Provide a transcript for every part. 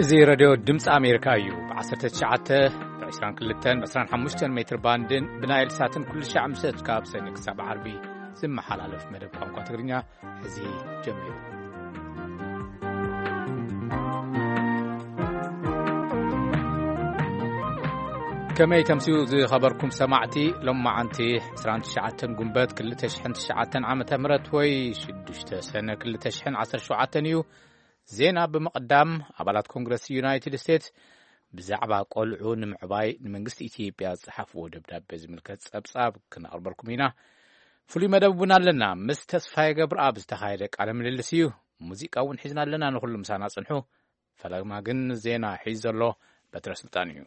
እዚ ሬድዮ ድምፂ ኣሜሪካ እዩ። ብ19፣ ብ22፣ ብ25 ሜትር ባንድን ብናይል ሳትን ኩሉ ሻዕ ምሸት ካብ ሰኒ ክሳብ ዓርቢ ዝመሓላለፍ መደብ ቋንቋ ትግርኛ ሕዚ ጀሚሩ። ከመይ ተምስዩ ዝኸበርኩም ሰማዕቲ? ሎማዓንቲ 29 ጉንበት 2009 ዓመተ ምህረት ወይ 6 ሰነ 2017 እዩ። ዜና ብምቕዳም፣ ኣባላት ኮንግረስ ዩናይትድ ስቴትስ ብዛዕባ ቆልዑ ንምዕባይ ንመንግስቲ ኢትዮጵያ ዝጸሓፍዎ ደብዳቤ ዝምልከት ጸብጻብ ክነቕርበልኩም ኢና። ፍሉይ መደብ እውን ኣለና። ምስ ተስፋዬ ገብረኣብ ዝተኻየደ ቃለ ምልልስ እዩ። ሙዚቃ እውን ሒዝና ኣለና። ንኹሉ ምሳና ጽንሑ። ፈለማ ግን ዜና ሒዝ ዘሎ በትረ ስልጣን እዩ።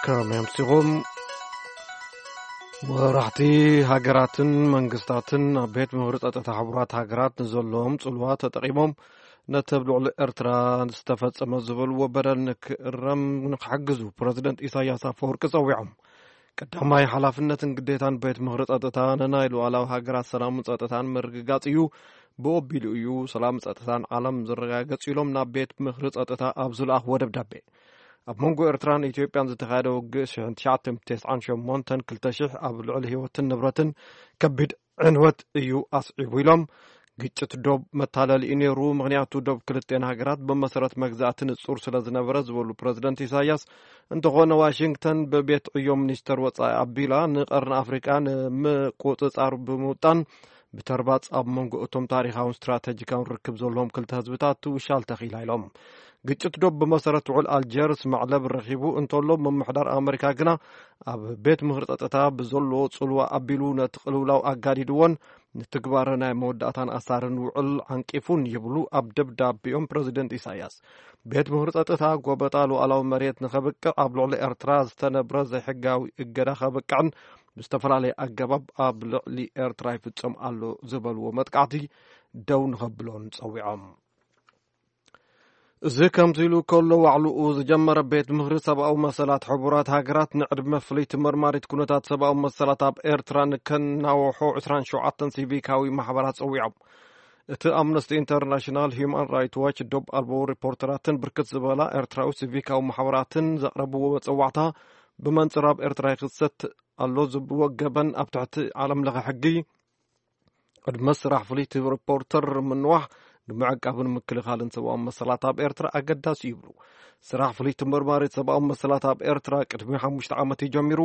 ከመይ ኣምሲኹም? መራሕቲ ሃገራትን መንግስታትን ኣብ ቤት ምኽሪ ጸጥታ ሕቡራት ሃገራት ንዘለዎም ጽልዋ ተጠቒሞም ነቲ ኣብ ልዕሊ ኤርትራ ዝተፈጸመ ዝበልዎ በደል ንክእረም ንክሕግዙ ፕረዚደንት ኢሳያስ ኣፈወርቂ ጸዊዖም። ቀዳማይ ሓላፍነትን ግዴታን ቤት ምኽሪ ጸጥታ ንናይ ሉዓላዊ ሃገራት ሰላምን ጸጥታን ምርግጋጽ እዩ። ብኦቢሉ እዩ ሰላም ጸጥታን ዓለም ዝረጋገጽ ኢሎም ናብ ቤት ምኽሪ ጸጥታ ኣብ ዝለኣኽዎ ደብዳቤ። ኣብ መንጎ ኤርትራን ኢትዮጵያን ዝተኻየደ ውግእ 1998 ኣብ ልዕሊ ህይወትን ንብረትን ከቢድ ዕንወት እዩ ኣስዒቡ ኢሎም። ግጭት ዶብ መታለሊ እዩ ነይሩ፣ ምኽንያቱ ዶብ ክልቴን ሃገራት ብመሰረት መግዛእቲ ንጹር ስለ ዝነበረ ዝበሉ ፕረዚደንት ኢሳያስ፣ እንተኾነ ዋሽንግተን ብቤት ዕዮ ሚኒስተር ወጻኢ ኣቢላ ንቀርኒ ኣፍሪቃ ንምቁጽጻር ብምውጣን ብተርባጽ ኣብ መንጎ እቶም ታሪኻውን ስትራተጂካውን ርክብ ዘለዎም ክልተ ህዝብታት ትውሻል ተኺላ ኢሎም። ግጭት ዶብ ብመሰረት ውዕል ኣልጀርስ መዕለብ ረኺቡ እንተሎ፣ ምምሕዳር ኣመሪካ ግና ኣብ ቤት ምኽሪ ጸጥታ ብዘለዎ ጽልዋ ኣቢሉ ነቲ ቅልውላው ኣጋዲድዎን ንትግባረ ናይ መወዳእታን ኣሳርን ውዕል ዓንቂፉን ይብሉ ኣብ ደብዳቤኦም ፕረዚደንት ኢሳያስ። ቤት ምኽሪ ጸጥታ ጎበጣ ሉዓላዊ መሬት ንኸብቅዕ፣ ኣብ ልዕሊ ኤርትራ ዝተነብረ ዘይሕጋዊ እገዳ ከብቅዕን ብዝተፈላለየ ኣገባብ ኣብ ልዕሊ ኤርትራ ይፍጸም ኣሎ ዝበልዎ መጥቃዕቲ ደው ንኸብሎን ጸዊዖም። እዚ ከምዚ ኢሉ ከሎ፣ ዋዕልኡ ዝጀመረ ቤት ምኽሪ ሰብኣዊ መሰላት ሕቡራት ሃገራት ንዕድመ ፍልይቲ መርማሪት ኩነታት ሰብኣዊ መሰላት ኣብ ኤርትራ ንከናውሖ 27 ሲቪካዊ ማሕበራት ጸዊዖም። እቲ ኣምነስቲ ኢንተርናሽናል፣ ሂዩማን ራይት ዋች፣ ዶብ ኣልቦ ሪፖርተራትን ብርክት ዝበላ ኤርትራዊ ሲቪካዊ ማሕበራትን ዘቕረብዎ መጸዋዕታ፣ ብመንጽር ኣብ ኤርትራ ይኽሰት ኣሎ ዝብዎ ገበን ኣብ ትሕቲ ዓለም ለኸ ሕጊ ቅድመ ስራሕ ፍልይቲ ሪፖርተር ምንዋሕ ንምዕቃብን ምክልኻልን ሰብኣዊ መሰላት ኣብ ኤርትራ ኣገዳሲ ይብሉ። ስራሕ ፍልይቲ መርማሪት ሰብኣዊ መሰላት ኣብ ኤርትራ ቅድሚ ሓሙሽተ ዓመት እዩ ጀሚሩ።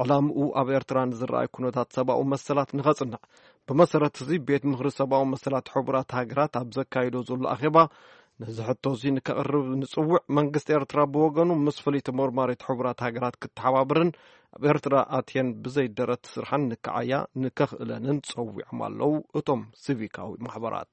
ዕላምኡ ኣብ ኤርትራ ንዝረኣይ ኩነታት ሰብኣዊ መሰላት ንኸጽንዕ። ብመሰረት እዚ ቤት ምኽሪ ሰብኣዊ መሰላት ሕቡራት ሃገራት ኣብ ዘካይዶ ዘሎ ኣኼባ ነዚ ሕቶ እዚ ንከቕርብ ንጽውዕ። መንግስቲ ኤርትራ ብወገኑ ምስ ፍልይቲ መርማሪት ሕቡራት ሃገራት ክተሓባበርን ኣብ ኤርትራ ኣትየን ብዘይ ደረት ስርሓን ንክዓያ ንከኽእለንን ጸዊዖም ኣለዉ እቶም ሲቪካዊ ማሕበራት።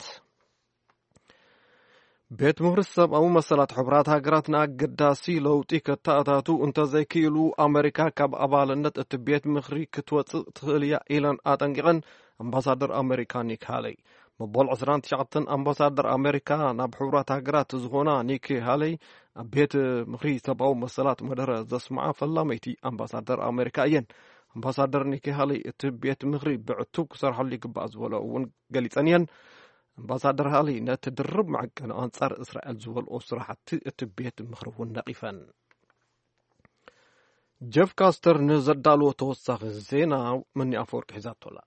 ቤት ምኽሪ ሰብኣዊ መሰላት ሕቡራት ሃገራት ንኣገዳሲ ለውጢ ከተኣታቱ እንተዘይክኢሉ፣ ኣመሪካ ካብ ኣባልነት እቲ ቤት ምኽሪ ክትወጽእ ትኽእል እያ ኢለን ኣጠንቂቐን። ኣምባሳደር ኣመሪካ ኒክ ሃለይ። መበል 29 ኣምባሳደር ኣመሪካ ናብ ሕቡራት ሃገራት ዝኾና ኒክ ሃለይ ኣብ ቤት ምኽሪ ሰብኣዊ መሰላት መደረ ዘስምዓ ፈላመይቲ ኣምባሳደር ኣመሪካ እየን። ኣምባሳደር ኒክ ሃለይ እቲ ቤት ምኽሪ ብዕቱብ ክሰርሐሉ ይግባእ ዝበሎ እውን ገሊጸን እየን። ኣምባሳደር ሃሊ ነቲ ድርብ መዐቀኒ ኣንጻር እስራኤል ዝበልኦ ስራሕቲ እቲ ቤት ምኽሪ እውን ነቒፈን። ጀፍ ካስተር ንዘዳልዎ ተወሳኺ ዜና መኒ ኣፈወርቂ ሒዛቶላ።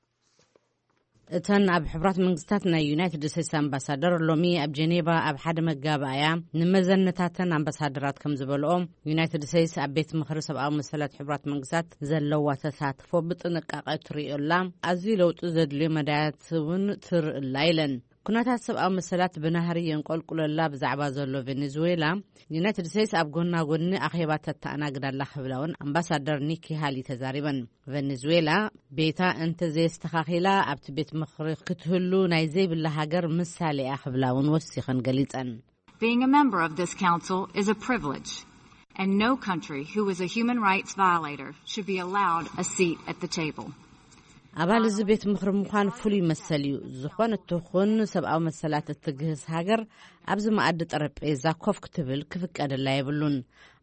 እተን ኣብ ሕቡራት መንግስታት ናይ ዩናይትድ ስቴትስ ኣምባሳደር ሎሚ ኣብ ጀኔቫ ኣብ ሓደ መጋባእያ ንመዘነታተን ኣምባሳደራት ከም ዝበልኦ፣ ዩናይትድ ስቴትስ ኣብ ቤት ምኽሪ ሰብኣዊ መሰላት ሕቡራት መንግስታት ዘለዋ ተሳትፎ ብጥንቃቐ ትርእዮላ፣ ኣዝዩ ለውጢ ዘድልዮ መዳያት እውን ትርእላ ኢለን። ኩነታት ሰብኣዊ መሰላት ብናህሪ የንቆልቁለላ ብዛዕባ ዘሎ ቬኔዙዌላ፣ ዩናይትድ ስቴትስ ኣብ ጎና ጎኒ ኣኼባ ተተኣናግድ ኣላ ክብላ እውን ኣምባሳደር ኒኪ ሃሊ ተዛሪበን። ቬኔዙዌላ ቤታ እንተዘየስተኻኺላ ኣብቲ ቤት ምኽሪ ክትህሉ ናይ ዘይብላ ሃገር ምሳሌ እያ ክብላ እውን ወሲኸን ገሊጸን። Being a member of this council is a privilege, and no country who is a human rights violator should be allowed a seat at the table. ኣባል እዚ ቤት ምኽሪ ምዃን ፍሉይ መሰል እዩ። ዝኾነት ትኹን ሰብኣዊ መሰላት እትግህስ ሃገር ኣብዚ መኣዲ ጠረጴዛ ኮፍ ክትብል ክፍቀደላ የብሉን።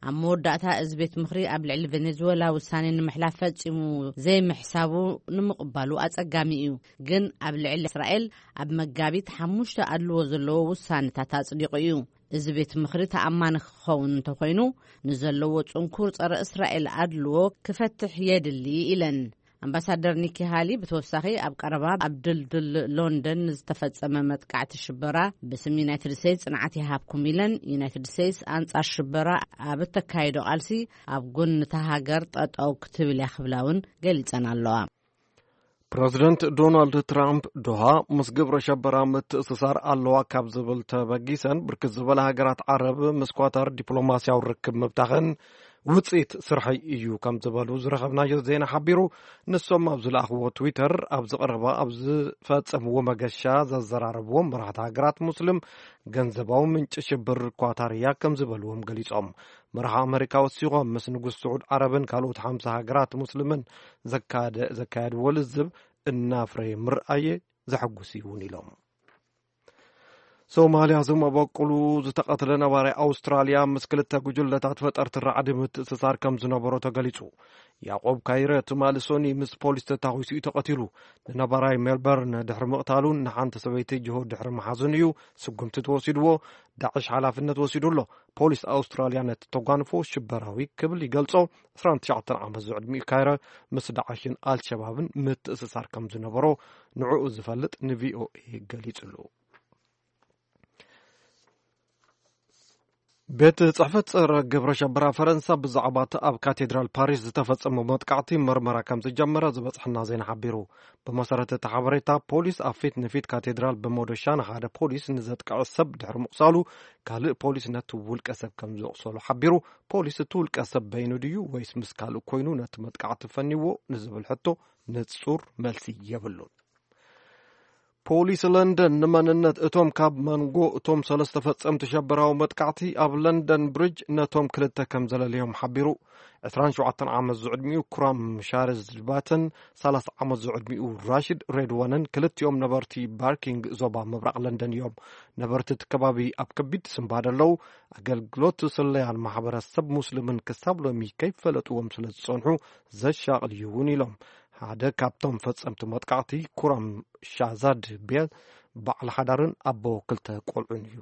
ኣብ መወዳእታ እዚ ቤት ምኽሪ ኣብ ልዕሊ ቬኔዙዌላ ውሳኔ ንምሕላፍ ፈጺሙ ዘይምሕሳቡ ንምቕባሉ ኣጸጋሚ እዩ። ግን ኣብ ልዕሊ እስራኤል ኣብ መጋቢት ሓሙሽተ ኣድልዎ ዘለዎ ውሳኔታት ኣጽዲቑ እዩ። እዚ ቤት ምኽሪ ተኣማኒ ክኸውን እንተኾይኑ፣ ንዘለዎ ጽንኩር ጸረ እስራኤል ኣድልዎ ክፈትሕ የድሊ ኢለን። ኣምባሳደር ኒኪ ሃሊ ብተወሳኺ፣ ኣብ ቀረባ ኣብ ድልድል ሎንደን ዝተፈጸመ መጥቃዕቲ ሽበራ ብስም ዩናይትድ ስቴትስ ጽንዓት ይሃብኩም ኢለን። ዩናይትድ ስቴትስ ኣንጻር ሽበራ ኣብ እተካየዶ ቃልሲ ኣብ ጎኒ እታ ሃገር ጠጠው ክትብል እያ ክብላ እውን ገሊጸን ኣለዋ። ፕረዚደንት ዶናልድ ትራምፕ፣ ዶሃ ምስ ግብረ ሸበራ ምትእስሳር ኣለዋ ካብ ዝብል ተበጊሰን፣ ብርክት ዝበላ ሃገራት ዓረብ ምስ ኳታር ዲፕሎማስያዊ ርክብ ምብታኸን ውጽኢት ስርሐይ እዩ ከም ዝበሉ ዝረኸብናዮ ዜና ሓቢሩ። ንሶም ኣብ ዝለኣኽዎ ትዊተር፣ ኣብዚ ቀረባ ኣብ ዝፈጸምዎ መገሻ ዘዘራረብዎም መራሕቲ ሃገራት ሙስሊም፣ ገንዘባዊ ምንጪ ሽብር ኳታር እያ ከም ዝበልዎም ገሊጾም። መራሒ ኣመሪካ ወሲኾም፣ ምስ ንጉስ ስዑድ ዓረብን ካልኦት ሓምሳ ሃገራት ሙስሊምን ዘካደ-፣ ዘካየድዎ ልዝብ እናፍረየ ምርኣየ ዘሐጉስ እዩ እውን ኢሎም። ሶማልያ፣ ዝመበቁሉ ዝተቐትለ ነባራይ ኣውስትራልያ ምስ ክልተ ጉጅለታት ፈጠርቲ ራዕዲ ምትእስሳር ከም ዝነበሮ ተገሊጹ። ያዕቆብ ካይረ ትማሊ ሶኒ ምስ ፖሊስ ተታኺሱ እዩ ተቐቲሉ። ንነባራይ ሜልበርን ድሕሪ ምቕታሉን ንሓንቲ ሰበይቲ ጅሆ ድሕሪ ምሓዙን እዩ ስጉምቲ ተወሲድዎ። ዳዕሽ ሓላፍነት ወሲዱ ኣሎ። ፖሊስ ኣውስትራልያ ነቲ ተጓንፎ ሽበራዊ ክብል ይገልጾ። ዕስራን ትሽዓተን ዓመት ዝዕድሚኡ ካይረ ምስ ዳዕሽን ኣልሸባብን ምትእስሳር ከም ዝነበሮ ንዕኡ ዝፈልጥ ንቪኦኤ ገሊጹሉ። ቤት ጽሕፈት ጸረ ግብረ ሸበራ ፈረንሳ ብዛዕባ እቲ ኣብ ካቴድራል ፓሪስ ዝተፈጸመ መጥቃዕቲ መርመራ ከም ዝጀመረ ዝበጽሐና ዜና ሓቢሩ። ብመሰረት እቲ ሓበሬታ፣ ፖሊስ ኣብ ፊት ንፊት ካቴድራል ብመዶሻ ንሓደ ፖሊስ ንዘጥቅዐ ሰብ ድሕሪ ምቑሳሉ፣ ካልእ ፖሊስ ነቲ ውልቀ ሰብ ከም ዘቑሰሉ ሓቢሩ። ፖሊስ እቲ ውልቀ ሰብ በይኑ ድዩ ወይስ ምስ ካልእ ኮይኑ ነቲ መጥቃዕቲ ፈኒዎ ንዝብል ሕቶ ንጹር መልሲ የብሉን። ፖሊስ ለንደን ንመንነት እቶም ካብ መንጎ እቶም ሰለስተ ፈጸምቲ ሸበራዊ መጥቃዕቲ ኣብ ለንደን ብሪጅ ነቶም ክልተ ከም ዘለለዮም ሓቢሩ። ዕስራን ሸውዓተን ዓመት ዝዕድሚኡ ኩራም ሻርዝ ባተን ሰላሳ ዓመት ዝዕድሚኡ ራሽድ ሬድዋንን ክልቲኦም ነበርቲ ባርኪንግ ዞባ ምብራቕ ለንደን እዮም። ነበርቲ እቲ ከባቢ ኣብ ከቢድ ስንባደ ኣለዉ። ኣገልግሎት ስለያን ማሕበረሰብ ሙስሊምን ክሳብ ሎሚ ከይፈለጥዎም ስለ ዝጸንሑ ዘሻቕል እዩ እውን ኢሎም። ሓደ ካብቶም ፈጸምቲ መጥቃዕቲ ኩራም ሻዛድ ቤል በዓል ሓዳርን ኣቦ ክልተ ቆልዑን እዩ።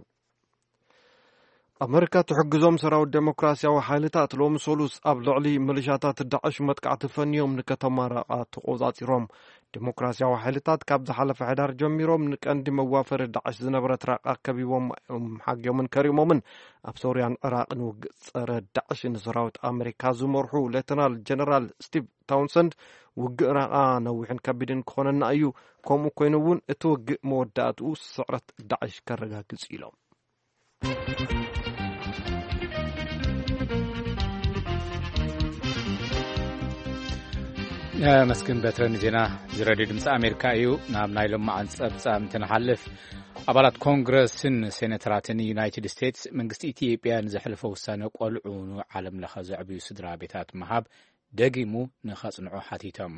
ኣመሪካ ትሕግዞም ሰራዊት ዴሞክራሲያዊ ሓይልታት ሎሚ ሰሉስ ኣብ ልዕሊ ሚሊሻታት ዳዕሽ መጥቃዕቲ ፈንዮም ንከተማ ራቓ ተቖጻጺሮም። ዴሞክራሲያዊ ሓይልታት ካብ ዝሓለፈ ሕዳር ጀሚሮም ንቀንዲ መዋፈሪ ዳዕሽ ዝነበረት ራቓ ከቢቦም እዮም ሓግዮምን ከሪሞምን። ኣብ ሶርያን ዕራቕን ውግእ ጸረ ዳዕሽ ንሰራዊት ኣመሪካ ዝመርሑ ሌተናል ጀነራል ስቲቭ ታውንሰንድ፣ ውግእ ራቓ ነዊሕን ከቢድን ክኾነና እዩ፣ ከምኡ ኮይኑ እውን እቲ ውግእ መወዳእትኡ ስዕረት ዳዕሽ ከረጋግጽ ኢሎም። መስግን በትረ ንዜና እዚ ሬድዮ ድምፂ ኣሜሪካ እዩ። ናብ ናይ ሎማዓን ፀብፃብ እንትንሓልፍ፣ ኣባላት ኮንግረስን ሴኔተራትን ዩናይትድ ስቴትስ መንግስቲ ኢትዮጵያ ንዘሕለፎ ውሳነ ቆልዑ ንዓለም ለኸ ዘዕብዩ ስድራ ቤታት ምሃብ ደጊሙ ንኸጽንዑ ሓቲቶም።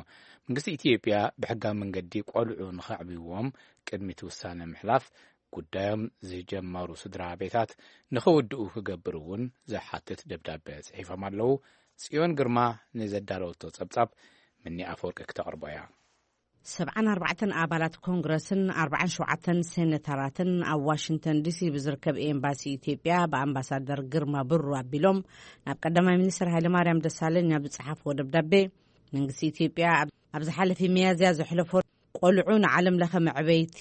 መንግስቲ ኢትዮጵያ ብሕጋዊ መንገዲ ቆልዑ ንኸዕብይዎም ቅድሚ እቲ ውሳነ ምሕላፍ ጉዳዮም ዝጀመሩ ስድራ ቤታት ንኸወድኡ ክገብር እውን ዝሓትት ደብዳበ ጽሒፎም ኣለዉ። ጽዮን ግርማ ንዘዳለወቶ ጸብጻብ ምኒ ኣፈወርቂ ክተቕርቦ እያ። ሰብዓን ኣርባዕተን ኣባላት ኮንግረስን ኣርባዓን ሸውዓተን ሴኔተራትን ኣብ ዋሽንግተን ዲሲ ብዝርከብ ኤምባሲ ኢትዮጵያ ብኣምባሳደር ግርማ ብሩ ኣቢሎም ናብ ቀዳማይ ሚኒስትር ሃይለማርያም ደሳለኝ ኣብ ዝጸሓፍዎ ደብዳቤ፣ መንግስቲ ኢትዮጵያ ኣብ፣ ኣብ ዝሓለፈ ሚያዝያ ዘሕለፎ ቆልዑ ንዓለም ለኸ መዕበይቲ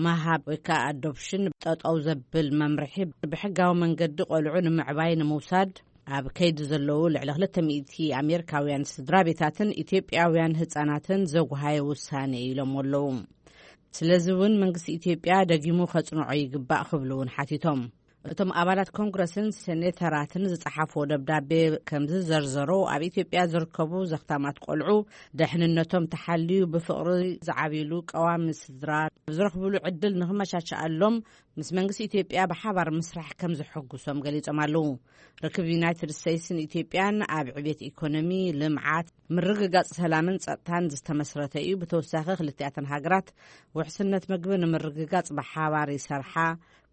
መሃብ ወይ ከዓ ኣዶፕሽን ጠጠው ዘብል መምርሒ፣ ብሕጋዊ መንገዲ ቆልዑ ንምዕባይ ንምውሳድ ኣብ ከይዲ ዘለዉ ልዕሊ ክልተ ሚእቲ ኣሜሪካውያን ስድራ ቤታትን ኢትዮጵያውያን ህፃናትን ዘጉሃየ ውሳኔ ኢሎም ኣለዉ። ስለዚ እውን መንግስቲ ኢትዮጵያ ደጊሙ ከፅንዖ ይግባእ ክብሉ እውን ሓቲቶም። እቶም ኣባላት ኮንግረስን ሴኔተራትን ዝጸሓፍዎ ደብዳቤ ከም ዝዘርዘሮ፣ ኣብ ኢትዮጵያ ዝርከቡ ዘኽታማት ቆልዑ ደሕንነቶም ተሓልዩ ብፍቕሪ ዝዓብይሉ ቀዋሚ ስድራ ዝረኽብሉ ዕድል ንኽመቻቸኣሎም ምስ መንግስቲ ኢትዮጵያ ብሓባር ምስራሕ ከም ዘሐጉሶም ገሊጾም ኣለዉ። ርክብ ዩናይትድ ስቴትስን ኢትዮጵያን ኣብ ዕቤት ኢኮኖሚ፣ ልምዓት፣ ምርግጋጽ ሰላምን ጸጥታን ዝተመስረተ እዩ። ብተወሳኺ ክልቲኣተን ሃገራት ውሕስነት ምግቢ ንምርግጋጽ ብሓባር ይሰርሓ።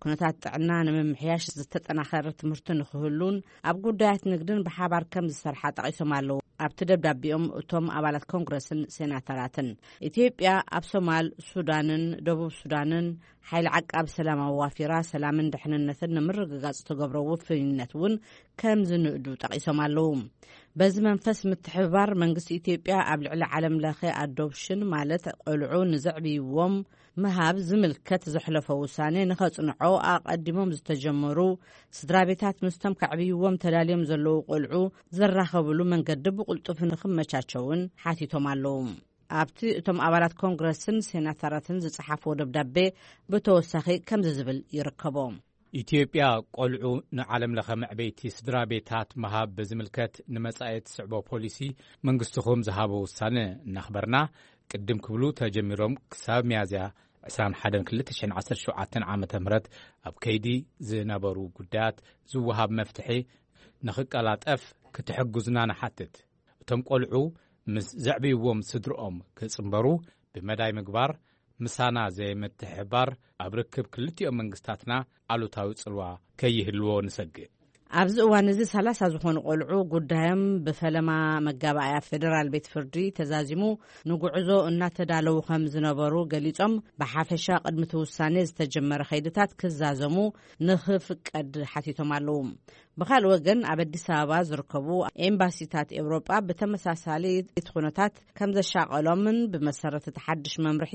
ኩነታት ጥዕና ንምምሕያሽ ዝተጠናኸረ ትምህርቲ ንክህሉን ኣብ ጉዳያት ንግድን ብሓባር ከም ዝሰርሓ ጠቒሶም ኣለዉ። ኣብቲ ደብዳቤኦም እቶም ኣባላት ኮንግረስን ሴናተራትን፣ ኢትዮጵያ ኣብ ሶማል፣ ሱዳንን ደቡብ ሱዳንን ሓይሊ ዓቃብ ሰላም ኣዋፊራ ሰላምን ድሕንነትን ንምርግጋጽ ትገብሮ ውፍይነት እውን ከም ዝንእዱ ጠቒሶም ኣለዉ። በዚ መንፈስ ምትሕብባር መንግስቲ ኢትዮጵያ ኣብ ልዕሊ ዓለም ለኸ ኣዶፕሽን ማለት ቆልዑ ንዘዕብይዎም ምሃብ ዝምልከት ዘሕለፎ ውሳኔ ንኸጽንዖ ኣቐዲሞም ዝተጀመሩ ስድራ ቤታት ምስቶም ከዕብይዎም ተዳልዮም ዘለዉ ቆልዑ ዘራኸብሉ መንገዲ ብቕልጡፍ ንኽመቻቸውን ሓቲቶም ኣለዉ። ኣብቲ እቶም ኣባላት ኮንግረስን ሴናተራትን ዝጸሓፍዎ ደብዳቤ ብተወሳኺ ከምዚ ዝብል ይርከቦ። ኢትዮጵያ ቆልዑ ንዓለም ለኸ መዕበይቲ ስድራ ቤታት ምሃብ ብዝምልከት ንመጻኢ ትስዕቦ ፖሊሲ መንግስትኹም ዝሃቦ ውሳነ እናኽበርና፣ ቅድም ክብሉ ተጀሚሮም ክሳብ ሚያዝያ ዕስራን ሓደን ክልተ ሽሕን ዓሰርተ ሸውዓተን ዓመተ ምህረት ኣብ ከይዲ ዝነበሩ ጉዳያት ዝወሃብ መፍትሒ ንኽቀላጠፍ ክትሕግዙና ንሓትት። እቶም ቆልዑ ምስ ዘዕብይዎም ስድርኦም ክጽንበሩ ብመዳይ ምግባር፣ ምሳና ዘይምትሕብባር ኣብ ርክብ ክልቲኦም መንግስታትና ኣሉታዊ ጽልዋ ከይህልዎ ንሰግእ። ኣብዚ እዋን እዚ ሰላሳ ዝኾኑ ቆልዑ ጉዳዮም ብፈለማ መጋባእያ ፌደራል ቤት ፍርዲ ተዛዚሙ ንጉዕዞ እናተዳለዉ ከም ዝነበሩ ገሊጾም፣ ብሓፈሻ ቅድሚ እቲ ውሳኔ ዝተጀመረ ከይድታት ክዛዘሙ ንኽፍቀድ ሓቲቶም ኣለዉ። ብኻልእ ወገን፣ ኣብ ኣዲስ ኣበባ ዝርከቡ ኤምባሲታት ኤውሮጳ ብተመሳሳሊ እቲ ኩነታት ከም ዘሻቐሎምን ብመሰረት እቲ ሓድሽ መምርሒ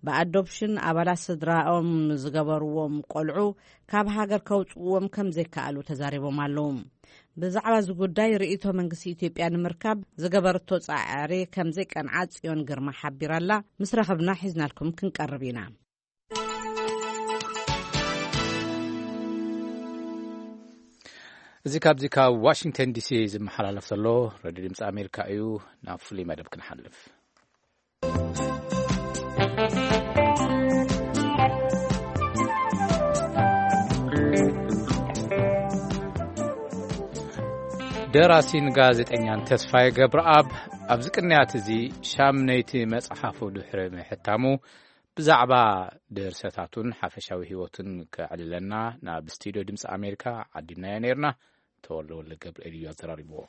ብኣዶፕሽን ኣባላት ስድራኦም ዝገበርዎም ቆልዑ ካብ ሃገር ከውጽእዎም ከም ዘይከኣሉ ተዛሪቦም ኣለዉ። ብዛዕባ እዚ ጉዳይ ርእይቶ መንግስቲ ኢትዮጵያ ንምርካብ ዝገበረቶ ጻዕሪ ከም ዘይቀንዓ ጽዮን ግርማ ሓቢራላ። ምስ ረኸብና ሒዝናልኩም ክንቀርብ ኢና። እዚ ካብዚ ካብ ዋሽንግተን ዲሲ ዝመሓላለፍ ዘሎ ሬድዮ ድምፂ ኣሜሪካ እዩ። ናብ ፍሉይ መደብ ክንሓልፍ። ደራሲን ጋዜጠኛን ተስፋዬ ገብረኣብ ኣብዚ ቅንያት እዚ ሻምነይቲ መጽሓፉ ድሕሪ ምሕታሙ ብዛዕባ ድርሰታቱን ሓፈሻዊ ህይወቱን ከዕልለና ናብ ስቱድዮ ድምፂ ኣሜሪካ ዓዲምናዮ ነይርና። ተወልደ ወልደ ገብርኤል እዩ ኣዘራሪብዎ።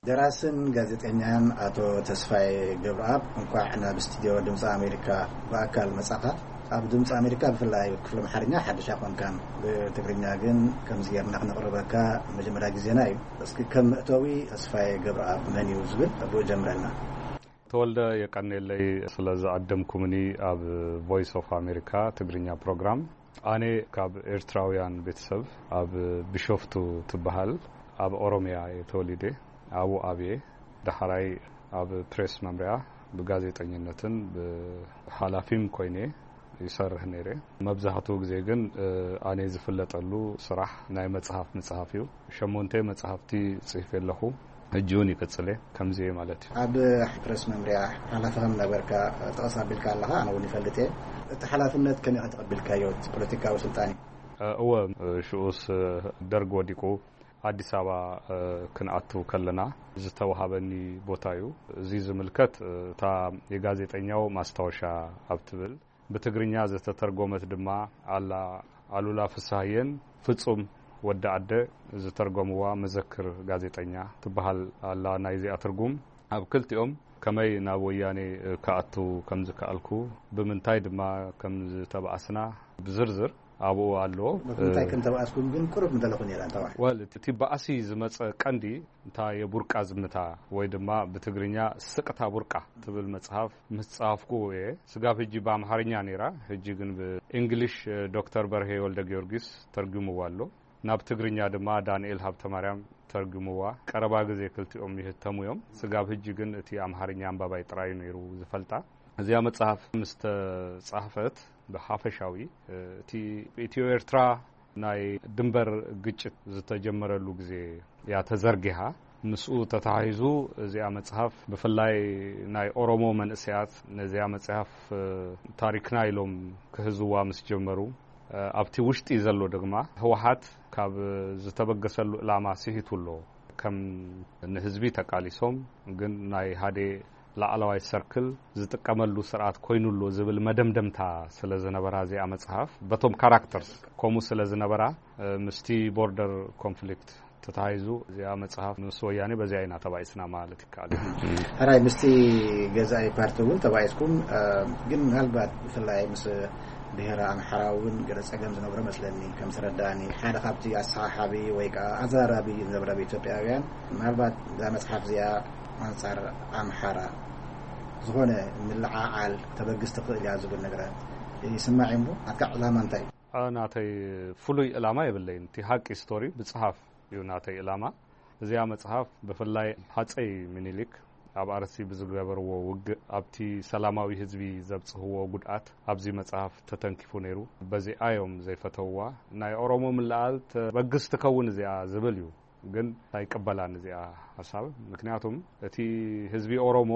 ደራስን ጋዜጠኛን ኣቶ ተስፋዬ ገብረኣብ፣ እንኳዕ ናብ ስቱድዮ ድምፂ ኣሜሪካ ብኣካል መጻኻ። ኣብ ድምፂ ኣሜሪካ ብፍላይ ክፍሊ ኣምሓርኛ ሓድሽ ኣይኮንካን፣ ብትግርኛ ግን ከምዚ ጌርና ክነቕርበካ መጀመርያ ግዜና እዩ። እስኪ ከም መእተዊ ተስፋዬ ገብረኣብ መን እዩ ዝብል ብኡ ጀምረልና። ተወልደ፣ የቀኔለይ ስለ ዝዓደምኩምኒ ኣብ ቮይስ ኦፍ ኣሜሪካ ትግርኛ ፕሮግራም። ኣነ ካብ ኤርትራውያን ቤተሰብ ኣብ ቢሾፍቱ ትበሃል ኣብ ኦሮምያ እየ ተወሊደ። ኣብኡ ኣብየ። ዳሕራይ ኣብ ፕሬስ መምርያ ብጋዜጠኝነትን ብሓላፊም ኮይነ ይሰርሕ ነይረ። መብዛሕትኡ ግዜ ግን፣ እ፣ ኣነ ዝፍለጠሉ ስራሕ ናይ መጽሓፍ ምጽሓፍ እዩ። ሸሞንተ መጽሓፍቲ ጽሒፈ ኣለኹ። ሕጂ እውን ይቅጽል እየ። ከምዚ እየ ማለት እዩ። ኣብ ፕረስ መምርያ ሓላፊ ከም ነበርካ ጠቐስ ኣቢልካ ኣለኻ፣ ኣነ እውን ይፈልጥ እየ። እቲ ሓላፍነት ከመይ ተቐቢልካዮ? እቲ ፖለቲካዊ ስልጣን እዩ። እ፣ እወ፣ እ፣ ሽኡስ፣ እ፣ ደርግ ወዲቁ ኣዲስ ኣበባ፣ እ፣ ክንኣቱ ከለና ዝተዋሃበኒ ቦታ እዩ። እዚ ዝምልከት፣ እ፣ እታ የጋዜጠኛው ማስታወሻ ኣብ ትብል ብትግርኛ ዝተተርጎመት ድማ ኣላ ኣሉላ ፍስሃየን ፍጹም ወዲ ኣደ ዝተርጎምዋ መዘክር ጋዜጠኛ ትበሃል ኣላ። ናይዚኣ ትርጉም ኣብ ክልቲኦም ከመይ ናብ ወያኔ ክኣቱ ከም ዝከኣልኩ፣ ብምንታይ ድማ ከም ዝተባኣስና ብዝርዝር ኣብኡ ኣሎ። ብምንታይ ከም ተባኣስኩም ግን ቁሩብ ምተለኹ ነይራ፣ እንተዋሕ። ወል፣ እቲ ባእሲ ዝመጸ ቀንዲ እንታ የቡርቃ ዝምታ ወይ ድማ ብትግርኛ ስቅታ ቡርቃ ትብል መጽሓፍ ምስ ጸሃፍኩ እየ። ስጋብ ሕጂ ብኣምሓርኛ ነይራ፣ ሕጂ ግን ብእንግሊሽ፣ እ፣ ዶክተር በርሄ ወልደ ጊዮርጊስ ተርጉምዋ ኣሎ። ናብ ትግርኛ ድማ ዳንኤል ሃብተ ማርያም ተርጉምዋ። ቀረባ ግዜ ክልቲኦም ይህተሙ እዮም። ስጋብ ሕጂ ግን እቲ ኣምሓርኛ ኣንባባይ ጥራይ እዩ ነይሩ ዝፈልጣ። እዚኣ መጽሓፍ ምስ ተጻሕፈት ብሓፈሻዊ፣ እ፣ እቲ ኢትዮ ኤርትራ ናይ ድንበር ግጭት ዝተጀመረሉ ግዜ እያ ተዘርጊሓ። ምስኡ ተተሓሒዙ እዚኣ መጽሓፍ ብፍላይ ናይ ኦሮሞ መንእሰያት ነዚኣ መጽሓፍ፣ እ፣ ታሪክና ኢሎም ክህዝዋ ምስ ጀመሩ፣ እ፣ ኣብቲ ውሽጢ ዘሎ ድማ ህወሓት ካብ ዝተበገሰሉ ዕላማ ስሒቱ ኣሎ። ከም ንህዝቢ ተቃሊሶም ግን ናይ ሓደ ላዕለዋይ ሰርክል ዝጥቀመሉ ስርዓት ኮይኑ ኣሎ ዝብል መደምደምታ ስለ ዝነበራ እዚኣ መጽሓፍ በቶም ካራክተርስ ከምኡ ስለ ዝነበራ ምስቲ ቦርደር ኮንፍሊክት ተታሂዙ እዚኣ መጽሓፍ ምስ ወያኔ በዚኣ ኢና ተባኢስና ማለት ይከኣል። ሕራይ ምስቲ ገዛኢ ፓርቲ እውን ተባኢስኩም፣ ግን ምናልባት ብፍላይ ምስ ብሔረ ኣምሓራ እውን ገለ ጸገም ዝነብሮ መስለኒ ከም ዝረዳእኒ ሓደ ካብቲ ኣሰሓሓቢ ወይ ከዓ ኣዘራራቢ ዝነበረ ኢትዮጵያውያን ምናልባት እዛ መጽሓፍ እዚኣ ኣንጻር ኣምሓራ ዝኾነ ምልዓዓል ተበግስ ትኽእል እያ ዝብል ነገራት ይስማዕ እሞ ኣትካ ዕላማ እንታይ እዩ? ናተይ ፍሉይ ዕላማ የብለይን። እቲ ሓቂ ስቶሪ ምጽሓፍ እዩ ናተይ ዕላማ። እዚኣ መጽሓፍ ብፍላይ ሃጸይ ምኒልክ ኣብ ኣርሲ ብዝገበርዎ ውግእ ኣብቲ ሰላማዊ ህዝቢ ዘብጽህዎ ጉድኣት ኣብዚ መጽሓፍ ተተንኪፉ ነይሩ። በዚኣ እዮም ዘይፈተውዋ። ናይ ኦሮሞ ምልዓል ተበግስ ትከውን እዚኣ ዝብል እዩ። ግን ኣይቀበላን እዚኣ ሓሳብ። ምክንያቱም እቲ ህዝቢ ኦሮሞ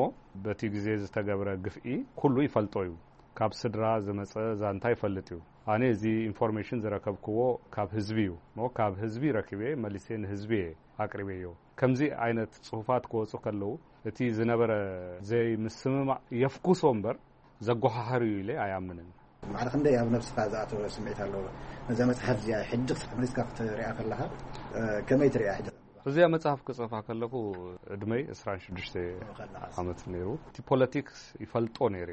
በቲ ግዜ ዝተገብረ ግፍዒ ኩሉ ይፈልጦ እዩ። ካብ ስድራ ዝመጸ ዛንታ ይፈልጥ እዩ። ኣነ እዚ ኢንፎርሜሽን ዝረከብክዎ ካብ ህዝቢ እዩ። ሞ ካብ ህዝቢ ረኪበ መሊሴ ንህዝቢ እየ ኣቅሪበዮ። ከምዚ ዓይነት ጽሁፋት ክወጹ ከለዉ እቲ ዝነበረ ዘይምስምማዕ የፍኩሶ እምበር ዘጓሓሕር እዩ ኢለ ኣይኣምንን። ማዕረ ክንደይ ኣብ ነብስኻ ዝኣተወ ስምዒት ኣለዎ? ነዛ መጽሓፍ እዚኣ ሕጂ ክሳዕ መሊስካ ክትሪኣ ከለኻ ከመይ ትሪኣ ሕጂ? እዚኣ መጽሓፍ ክጽሕፋ ከለኹ ዕድመይ ዕስራን ሽዱሽተ ዓመት ነይሩ። እቲ ፖለቲክስ ይፈልጦ ነይረ።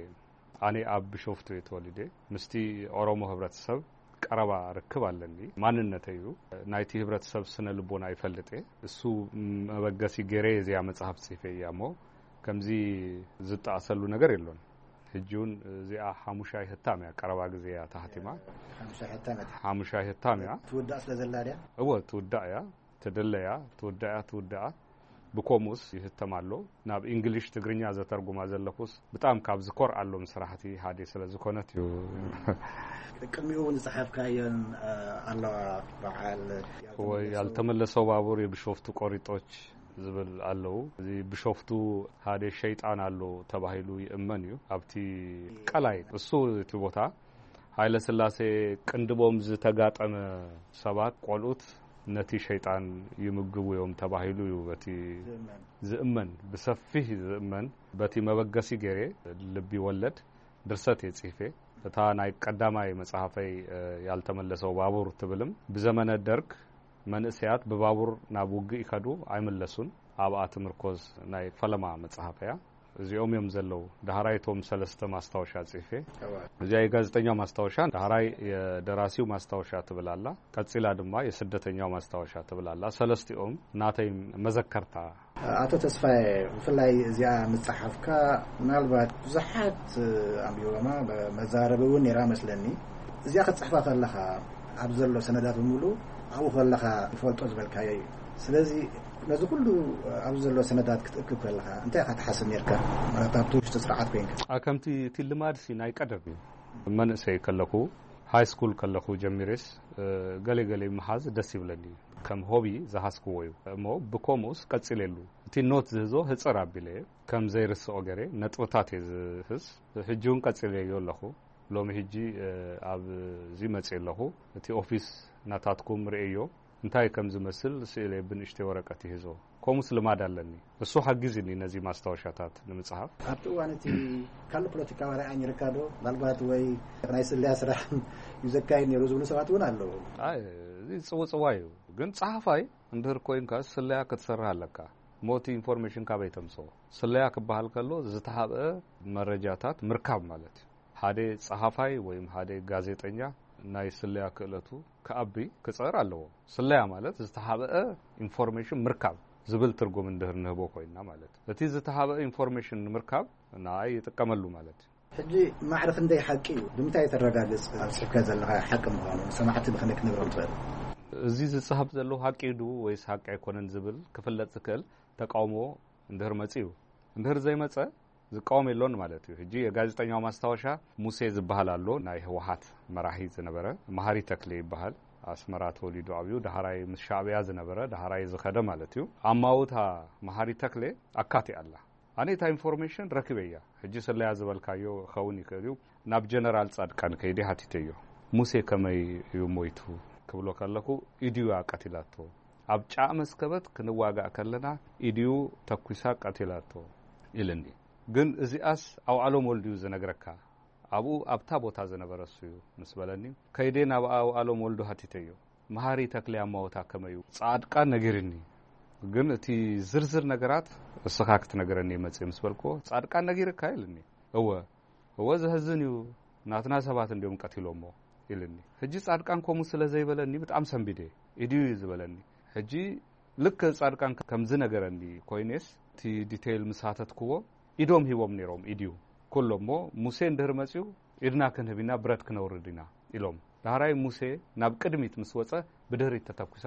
ኣነ ኣብ ቢሾፍቱ እየ ተወሊደ። ምስቲ ኦሮሞ ህብረተሰብ ቀረባ ርክብ ኣለኒ። ማንነተይ እዩ። ናይቲ ህብረተሰብ ስነ ልቦና ይፈልጥ እየ። እሱ መበገሲ ገይረ እዚኣ መጽሓፍ ጽሒፈ እያ እሞ ከምዚ ዝጠኣሰሉ ነገር የሎን። ሕጂ እውን እዚኣ ሓሙሻይ ህታም እያ። ቀረባ ግዜ እያ ተሃቲማ። ሓሙሻይ ህታም እያ። ሓሙሻይ ህታም እያ። ትውዳእ ስለ ዘላ ድያ? እወ ትውዳእ እያ። ትድለ እያ። ትውዳእ እያ። ትውዳእ። ብኮምኡስ ይህተም ኣሎ። ናብ እንግሊሽ ትግርኛ ዘተርጉማ ዘለኹስ ብጣም ካብ ዝኮርኣሎም ስራሕቲ ሓደ ስለ ዝኾነት እዩ። ቅድሚኡ እውን ዝጸሓፍካየን ኣለዋ። በዓል ወይ ያልተመለሰው ባቡር የብሾፍቱ ቆሪጦች ዝብል ኣለዉ። እዚ ብሾፍቱ ሓደ ሸይጣን ኣሎ ተባሂሉ ይእመን እዩ። ኣብቲ ቀላይ እሱ እቲ ቦታ ሃይለ ስላሴ ቅንድቦም ዝተጋጠመ ሰባት ቆልኡት ነቲ ሸይጣን ይምግቡ እዮም ተባሂሉ እዩ በቲ ዝእመን፣ ብሰፊህ ዝእመን። በቲ መበገሲ ገይረ ልቢ ወለድ ድርሰት እየ ጽሒፈ። እታ ናይ ቀዳማይ መጽሓፈይ ያልተመለሰው ባቡር ትብልም ብዘመነ ደርግ መንእሰያት ብባቡር ናብ ውግእ ይኸዱ ኣይምለሱን። ኣብኣ ትምርኮዝ ናይ ፈለማ መጽሓፈያ። እዚኦም እዮም ዘለዉ። ዳህራይ እቶም ሰለስተ ማስታወሻ ጽሒፈ። እዚኣ የጋዜጠኛው ማስታወሻ፣ ዳህራይ የደራሲው ማስታወሻ ትብል ኣላ። ቀጺላ ድማ የስደተኛው ማስታወሻ ትብል ኣላ። ሰለስቲኦም ናተይ መዘከርታ። ኣቶ ተስፋዬ፣ ብፍላይ እዚኣ ምጽሓፍካ ምናልባት ብዙሓት ኣንቢቦማ መዛረቢ እውን ነይራ መስለኒ። እዚኣ ክትጽሕፋ ከለኻ ኣብ ዘሎ ሰነዳት ብምሉ ኣብኡ ከለኻ ትፈልጦ ዝበልካዮ እዩ። ስለዚ ነዚ ኩሉ ኣብዚ ዘሎ ሰነዳት ክትእክብ ከለኻ እንታይ ኢኻ ትሓስብ ነርካ? ማለት ኣብቲ ውሽጢ ስርዓት ኮይንካ። ከምቲ እቲ ልማድ ሲ ናይ ቀደም እዩ። መንእሰይ ከለኹ ሃይ ስኩል ከለኹ ጀሚሬስ ገለ ገለ ምሓዝ ደስ ይብለኒ እዩ። ከም ሆቢ ዝሓዝክዎ እዩ። እሞ ብከምኡስ ቀጺለሉ። እቲ ኖት ዝህዞ ህጽር ኣቢለ እየ። ከም ዘይርስኦ ገይረ ነጥብታት እየ ዝህዝ። ሕጂ እውን ቀጺለዮ ኣለኹ። ሎሚ ሕጂ ኣብዚ መጽእ ኣለኹ። እቲ ኦፊስ ናታትኩም ርእዮ። እንታይ ከም ዝመስል ስእለ ብንእሽተይ ወረቀት ይህዞ። ከምኡስ ልማድ ኣለኒ። እሱ ሓጊዝኒ ነዚ ማስታወሻታት ንምጽሓፍ። ኣብቲ እዋን እቲ ካልእ ፖለቲካዊ ኣርኣያ ነይርካ ዶ? ምናልባት ወይ ናይ ስለያ ስራሕ እዩ ዘካየድ ነይሩ ዝብሉ ሰባት እውን ኣለዉ። ኣይ፣ እዚ ጽውጽዋይ እዩ። ግን ጸሓፋይ እንድህር ኮይንካ ስለያ ክትሰርሕ ኣለካ። ሞቲ ኢንፎርሜሽን ካበይ ተምጽኦ? ስለያ ክበሃል ከሎ ዝተሃብአ መረጃታት ምርካብ ማለት እዩ። ሓደ ጸሓፋይ ወይም ሓደ ጋዜጠኛ ናይ ስለያ ክእለቱ ክኣቢ ክጽዕር ኣለዎ። ስለያ ማለት ዝተሃብአ ኢንፎርሜሽን ምርካብ ዝብል ትርጉም እንድህር ንህቦ ኮይንና ማለት እዩ። እቲ ዝተሃብአ ኢንፎርሜሽን ንምርካብ ንኣይ ይጥቀመሉ ማለት እዩ። ሕጂ ማዕረ ክንደይ ሓቂ እዩ? ብምንታይ ተረጋግጽ ኣብ ጽሕፍካ ዘለኻ ሓቂ ምዃኑ ሰማዕቲ ብኸመይ ክትነግሮም ትኽእል? እዚ ዝጽሃብ ዘለዉ ሓቂ ድዩ ወይስ ሓቂ ኣይኮነን ዝብል ክፍለጥ ዝክእል ተቃውሞ እንድህር መጺኡ። እንድህር ዘይመጸ ዝቃወም የሎን ማለት እዩ። ሕጂ የጋዜጠኛው ማስታወሻ ሙሴ ዝበሃል ኣሎ፣ ናይ ህወሓት መራሒ ዝነበረ፣ መሃሪ ተክሌ ይበሃል። ኣስመራ ተወሊዱ ዓብዩ፣ ዳህራይ ምስ ሻዕብያ ዝነበረ፣ ዳህራይ ዝኸደ ማለት እዩ። ኣማውታ መሃሪ ተክሌ ኣካቲኣ ኣላ። ኣነ እታ ኢንፎርሜሽን ረኪበያ። ሕጂ ስለያ ዝበልካዮ ክኸውን ይኽእል እዩ። ናብ ጀነራል ጻድቃን ከይደ ሓቲተዮ። ሙሴ ከመይ እዩ ሞይቱ ክብሎ ከለኹ፣ ኢድዩ እያ ቀቲላቶ። ኣብ ጫእ መስከበት ክንዋጋእ ከለና ኢድዩ ተኩሳ ቀቲላቶ ኢልኒ። ግን እዚኣስ ኣውዓሎም ወልድዩ ዝነግረካ፣ ኣብኡ ኣብታ ቦታ ዝነበረ እሱዩ ምስ በለኒ፣ ከይደ ናብ ኣውዓሎም ወልዱ ሃቲተዮ። መሃሪ ተክለ ኣማወታ ከመዩ ጻድቃን ነጊርኒ። ግን እቲ ዝርዝር ነገራት እስኻ ክትነግረኒ መጽእ ምስ በልክዎ፣ ጻድቃን ነጊርካ ኢልኒ። እወ፣ እወ፣ ዘሕዝን እዩ፣ ናትና ሰባት እንዲዮም ቀቲሎሞ ኢልኒ። ሕጂ ጻድቃን ከምኡ ስለ ዘይበለኒ ብጣዕሚ ሰንቢደ። ኢድዩ እዩ ዝበለኒ። ሕጂ ልክ ጻድቃን ከም ዝነገረኒ ኮይኔስ፣ እቲ ዲቴይል ምስ ሃተትክዎ፣ ኢዶም ሂቦም ነይሮም፣ ኢድዩ። ኩሎ እሞ ሙሴ እንድህር መጽዩ፣ ኢድና ክንህብ ኢና፣ ብረት ክነውርድ ኢና ኢሎም። ዳህራይ ሙሴ ናብ ቅድሚት ምስ ወጸ፣ ብድህሪት ተተኩሳ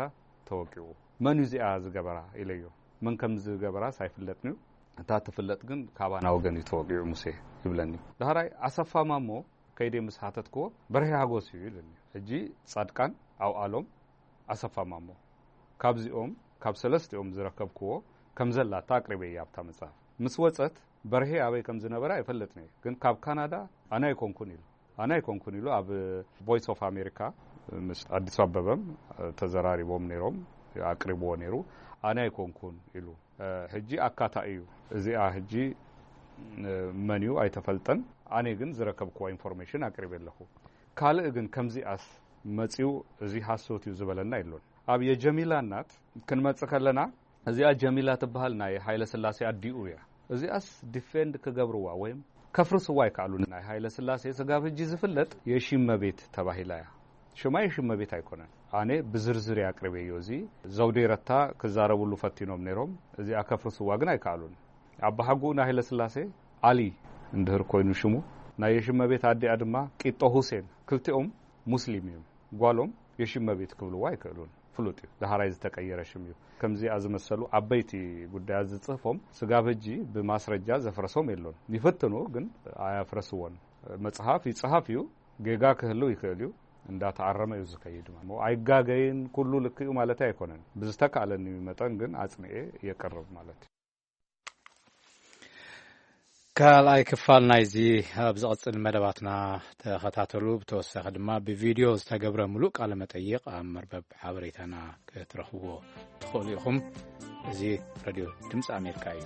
ተወቂዑ። መን እዩ እዚኣ ዝገበራ ኢለዮ። መን ከም ዝገበራስ ኣይፍለጥንዩ። እታ ትፍለጥ ግን ካባና ወገን እዩ ተወቂዑ ሙሴ ይብለኒ። ዳህራይ ኣሰፋ ማሞ ከይደ ምስ ሃተትክዎ፣ በርሄ ሃጎስ እዩ ኢለኒ። ሕጂ ጻድቃን፣ ኣውዓሎም፣ ኣሰፋ ማሞ። ካብዚኦም፣ ካብ ሰለስቲኦም ዝረከብክዎ ከም ዘላታ ኣቅሪበያ ኣብታ መጽሓፍ። ምስ ወጸት፣ በርሄ ኣበይ ከም ዝነበረ ኣይፈልጥን እየ። ግን ካብ ካናዳ ኣነ ኣይኮንኩን ኢሉ። ኣነ ኣይኮንኩን ኢሉ ኣብ ቮይስ ኦፍ ኣሜሪካ ምስ ኣዲስ ኣበበም ተዘራሪቦም ነይሮም፣ ኣቅሪብዎ ነይሩ። ኣነ ኣይኮንኩን ኢሉ። እ፣ ሕጂ ኣካታኢ እዩ። እዚኣ ሕጂ፣ እ፣ መን እዩ ኣይተፈልጠን። ኣነ ግን ዝረከብክዎ ኢንፎርሜሽን ኣቅሪበ ኣለኹ። ካልእ ግን ከምዚኣስ መጺኡ እዚ ሃሶት እዩ ዝበለና የሎን። ኣብ የጀሚላ እናት ክንመጽእ ከለና፣ እዚኣ ጀሚላ ትበሃል ናይ ሃይለ ስላሴ ኣዲኡ እያ። እዚኣስ ዲፌንድ ክገብርዋ ወይም ከፍርስዋ ኣይከኣሉን። ናይ ሃይለ ስላሴ ስጋብ ሕጂ ዝፍለጥ የሺመቤት ተባሂላ እያ። ሽማ የሺመቤት ኣይኮነን። ኣነ ብዝርዝር እየ ኣቅሪበዮ። እዚ ዘውዴ ረታ ክዛረብሉ ፈቲኖም ነይሮም። እዚኣ ከፍርስዋ ግን ኣይከኣሉን። ኣባሓጎኡ ናይ ሃይለ ስላሴ ዓሊ እንድህር ኮይኑ ሽሙ፣ ናይ የሺመቤት ኣዲኣ ድማ ቂጦ ሁሴን። ክልቲኦም ሙስሊም እዮም። ጓሎም የሺመቤት ክብልዋ ኣይክእሉን። ፍሉጥ እዩ። ዳህራይ ዝተቀየረ ሽም እዩ። ከምዚኣ ዝመሰሉ ዓበይቲ ጉዳያት ዝጽህፎም ስጋብ ሕጂ ብማስረጃ ዘፍረሶም የሎን። ይፍትኑ ግን ኣያፍረስዎን። መጽሓፍ ይጽሃፍ እዩ። ጌጋ ክህልው ይክእል እዩ። እንዳተኣረመ እዩ ዝኸይድ ማለት። እሞ ኣይጋገይን፣ ኩሉ ልክዩ ማለት ኣይኮነን። ብዝተካእለኒ መጠን ግን ኣጽንኤ የቅርብ ማለት እዩ። ካልኣይ ክፋል ናይዚ ኣብ ዝቕጽል መደባትና ተኸታተሉ። ብተወሳኺ ድማ ብቪድዮ ዝተገብረ ምሉእ ቃለ መጠይቕ ኣብ መርበብ ሓበሬታና ክትረኽብዎ ትኽእሉ ኢኹም። እዚ ሬድዮ ድምፂ ኣሜሪካ እዩ።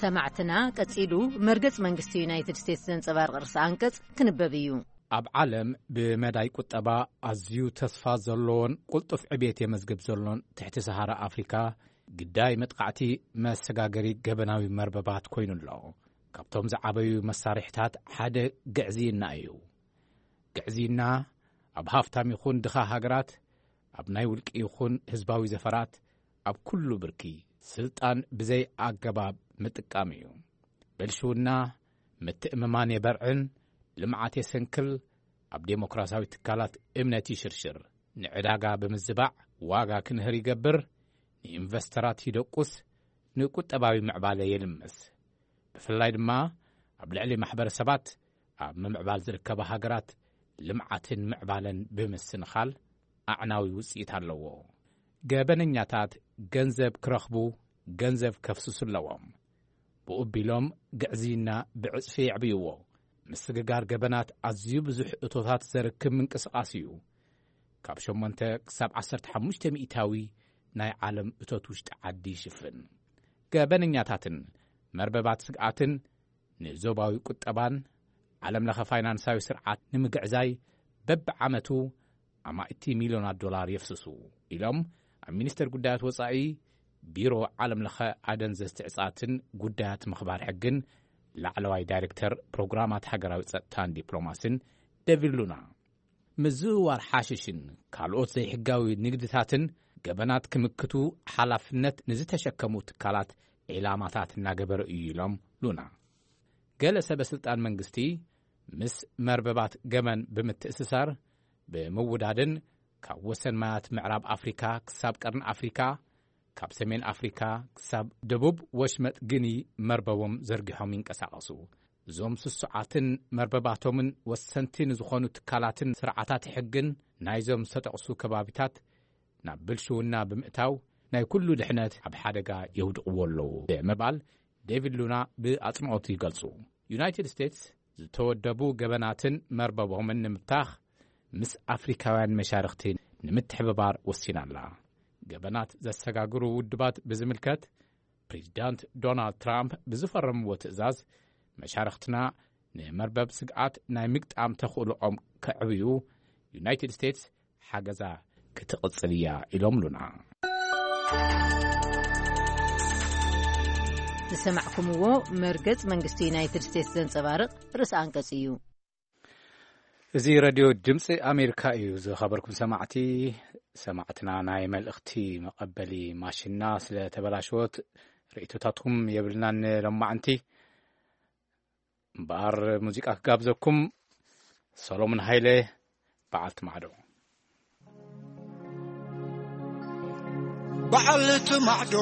ሰማዕትና፣ ቀጺሉ መርገጽ መንግስቲ ዩናይትድ ስቴትስ ዘንጸባርቕ ርእሰ ኣንቀጽ ክንበብ እዩ። ኣብ ዓለም ብመዳይ ቁጠባ ኣዝዩ ተስፋ ዘለዎን ቅልጡፍ ዕብየት የመዝግብ ዘሎን ትሕቲ ሰሃራ ኣፍሪካ፣ ግዳይ መጥቃዕቲ መሰጋገሪ ገበናዊ መርበባት ኮይኑ ኣሎ። ካብቶም ዝዓበዩ መሳርሕታት ሓደ ግዕዝይና እዩ። ግዕዝይና ኣብ ሃፍታም ይኹን ድኻ ሃገራት፣ ኣብ ናይ ውልቂ ይኹን ህዝባዊ ዘፈራት፣ ኣብ ኩሉ ብርኪ ስልጣን ብዘይ ኣገባብ ምጥቃም እዩ። ብልሽውና ምትእምማን የበርዕን፣ ልምዓት የሰንክል፣ ኣብ ዴሞክራሲያዊ ትካላት እምነት ይሽርሽር፣ ንዕዳጋ ብምዝባዕ ዋጋ ክንህር ይገብር፣ ንኢንቨስተራት ይደቁስ፣ ንቁጠባዊ ምዕባለ የልምስ። ብፍላይ ድማ ኣብ ልዕሊ ማሕበረሰባት ኣብ ምምዕባል ዝርከባ ሃገራት ልምዓትን ምዕባለን ብምስንኻል ኣዕናዊ ውጽኢት ኣለዎ። ገበነኛታት ገንዘብ ክረኽቡ ገንዘብ ከፍስሱ ኣለዎም። ብኡ ቢሎም ግዕዝይና ብዕጽፊ የዕብይዎ። ምስግጋር ገበናት ኣዝዩ ብዙሕ እቶታት ዘርክብ ምንቅስቓስ እዩ። ካብ ሸሞንተ ክሳብ ዓሰርተ ሓሙሽተ ሚእታዊ ናይ ዓለም እቶት ውሽጢ ዓዲ ይሽፍን። ገበነኛታትን መርበባት ስግኣትን ንዞባዊ ቁጠባን ዓለም ለኸ ፋይናንሳዊ ስርዓት ንምግዕዛይ በብዓመቱ ኣማእቲ ሚልዮናት ዶላር የፍስሱ ኢሎም ኣብ ሚኒስቴር ጉዳያት ወጻኢ ቢሮ ዓለም ለኸ ኣደንዘዝቲ ዕጻትን ጉዳያት ምኽባር ሕግን ላዕለዋይ ዳይሬክተር ፕሮግራማት ሃገራዊ ጸጥታን ዲፕሎማስን ደቪድ ሉና። ምዝውዋር ሓሽሽን ካልኦት ዘይሕጋዊ ንግድታትን ገበናት ክምክቱ ሓላፍነት ንዝተሸከሙ ትካላት ዒላማታት እናገበረ እዩ ኢሎም ሉና። ገለ ሰበ ስልጣን መንግስቲ ምስ መርበባት ገበን ብምትእስሳር ብምውዳድን ካብ ወሰን ማያት ምዕራብ ኣፍሪካ ክሳብ ቀርኒ ኣፍሪካ፣ ካብ ሰሜን ኣፍሪካ ክሳብ ደቡብ ወሽመጥ ግኒ መርበቦም ዘርጊሖም ይንቀሳቐሱ። እዞም ስሱዓትን መርበባቶምን ወሰንቲ ንዝኾኑ ትካላትን ስርዓታት ሕግን ናይዞም ዝተጠቕሱ ከባቢታት ናብ ብልሽውና ብምእታው ናይ ኩሉ ድሕነት ኣብ ሓደጋ የውድቕዎ ኣለዉ ብምባል ዴቪድ ሉና ብኣጽንኦት ይገልጹ። ዩናይትድ ስቴትስ ዝተወደቡ ገበናትን መርበቦምን ንምብታኽ ምስ ኣፍሪካውያን መሻርኽቲ ንምትሕብባር ወሲና ኣላ። ገበናት ዘሰጋግሩ ውድባት ብዝምልከት ፕሬዚዳንት ዶናልድ ትራምፕ ብዝፈረምዎ ትእዛዝ መሻርኽትና ንመርበብ ስግኣት ናይ ምግጣም ተኽእሎኦም ከዕብዩ ዩናይትድ ስቴትስ ሓገዛ ክትቕጽል እያ ኢሎም ሉና። ዝሰማዕኩምዎ መርገጽ መንግስቲ ዩናይትድ ስቴትስ ዘንጸባርቕ ርእሲ ኣንቀጽ እዩ። እዚ ሬድዮ ድምፂ ኣሜሪካ እዩ። ዝኸበርኩም ሰማዕቲ፣ ሰማዕትና ናይ መልእኽቲ መቐበሊ ማሽንና ስለ ተበላሸወት ርእይቶታትኩም የብልናን። ሎማዕንቲ እምበኣር ሙዚቃ ክጋብዘኩም። ሰሎሞን ሃይለ፣ በዓልቲ ማዕዶ። በዓልቲ ማዕዶ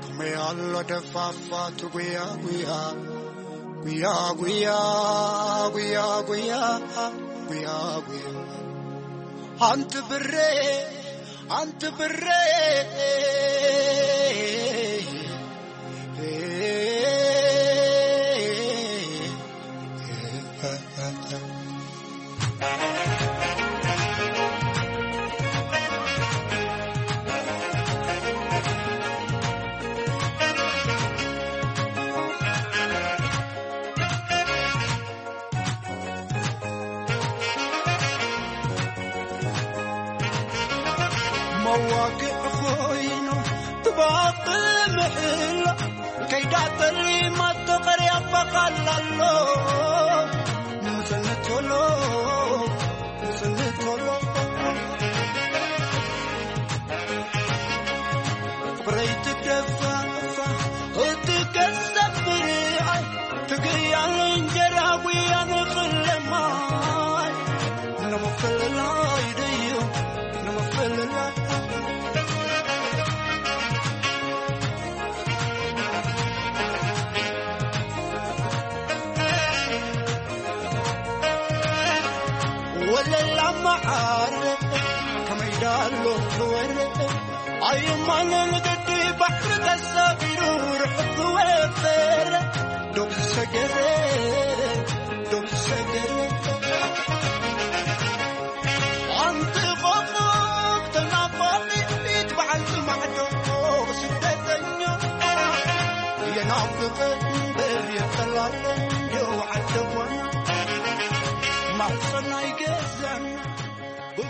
ከመይ ኣሎ ደፋፋት ጉያ ጉያ፣ ጉያ ጉያ፣ ጉያ ጉያ፣ ጉያ ጉያ። ኣንቲ ብሬ፣ ኣንቲ ብሬ። መዋግዕ ኮይኑ ትባኽ ምሕላ ከይዳ ጠሊማቶ ቀርያ በቓል ኣሎ። ምጽንት ቶሎ፣ ምጽንት ቶሎ። ፍቕረይ ትደፋፋ፣ እትከሰብ ብርኣይ፣ ትግያል እንጀራ ጉያ ንኽለማይ። ንምፍልላይ ድዩ፣ ንምፍልላይ። ወለላ መዓረ ከመይ ዳሎ ትወረ ኣይማነ ንግዲ ባሕሪ ተሳፊሩ ርሑፍ ወፈረ ዶብ ዝሰገረ ዶብ ዝሰገረ ኣንቲ ቆፎ ተናፋቂት በዓልቲ ማዕዶ ስደተኛ የናፍቅ እምበር የጠላለ ዶ ዓደዋና ማሕፀና ይገዛና።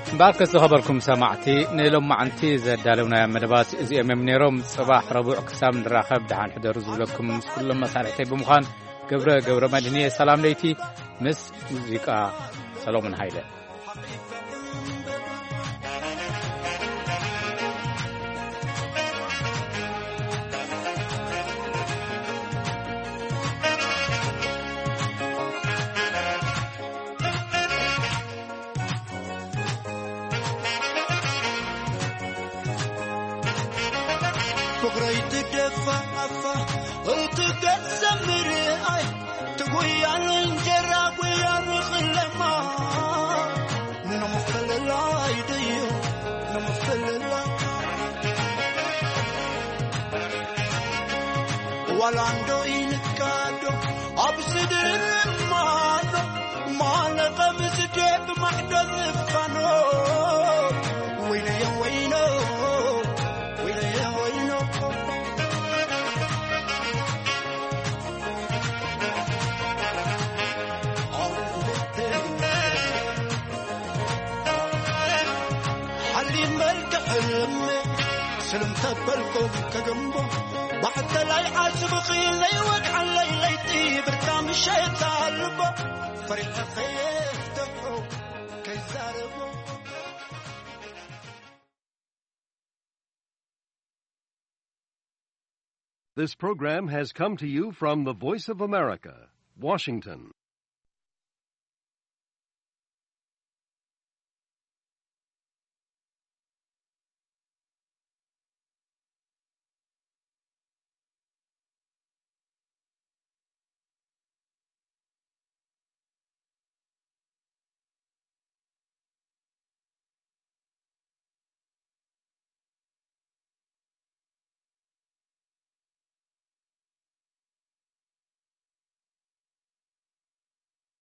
እምበኣርከስ ዝኸበርኩም ሰማዕቲ፣ ንሎማዓንቲ ዘዳለውናዮ መደባት እዚኦም እዮም ነይሮም። ጽባሕ ረቡዕ ክሳብ ንራኸብ ደሓን ሕደሩ ዝብለኩም ምስ ኩሎም መሳርሕተይ ብምዃን ገብረ ገብረ መድህን እየ። ሰላም ለይቲ ምስ ሙዚቃ ሰሎሞን ሃይለ። ፍቕረይ ትደፋፋ እቲ ገጸ ምርኣይ ትጉያን እንጀራ ጉያ ንኽለማ ንምፍልላይ ድዩ ንምፍልላይ ዋላ እንዶ ኢንካዶ ኣብዚ ድርማዶ ማለ ከም ዝደብ ማዕዶ ዝፋኖ ወይነዮ ወይኖ ወይነዮ ወይኖ ሓሊም መልክዕ ሕልም ስልም ተበልኩም ከገንቦ ባዕተላይ ዓስብኺ ዘይወግዓለይ ለይቲ ብርታ ምሸት ኣልቦ ፈሪሐ ከየፍተሑ ከይዛረቦ። This program has come to you from the Voice of America, Washington.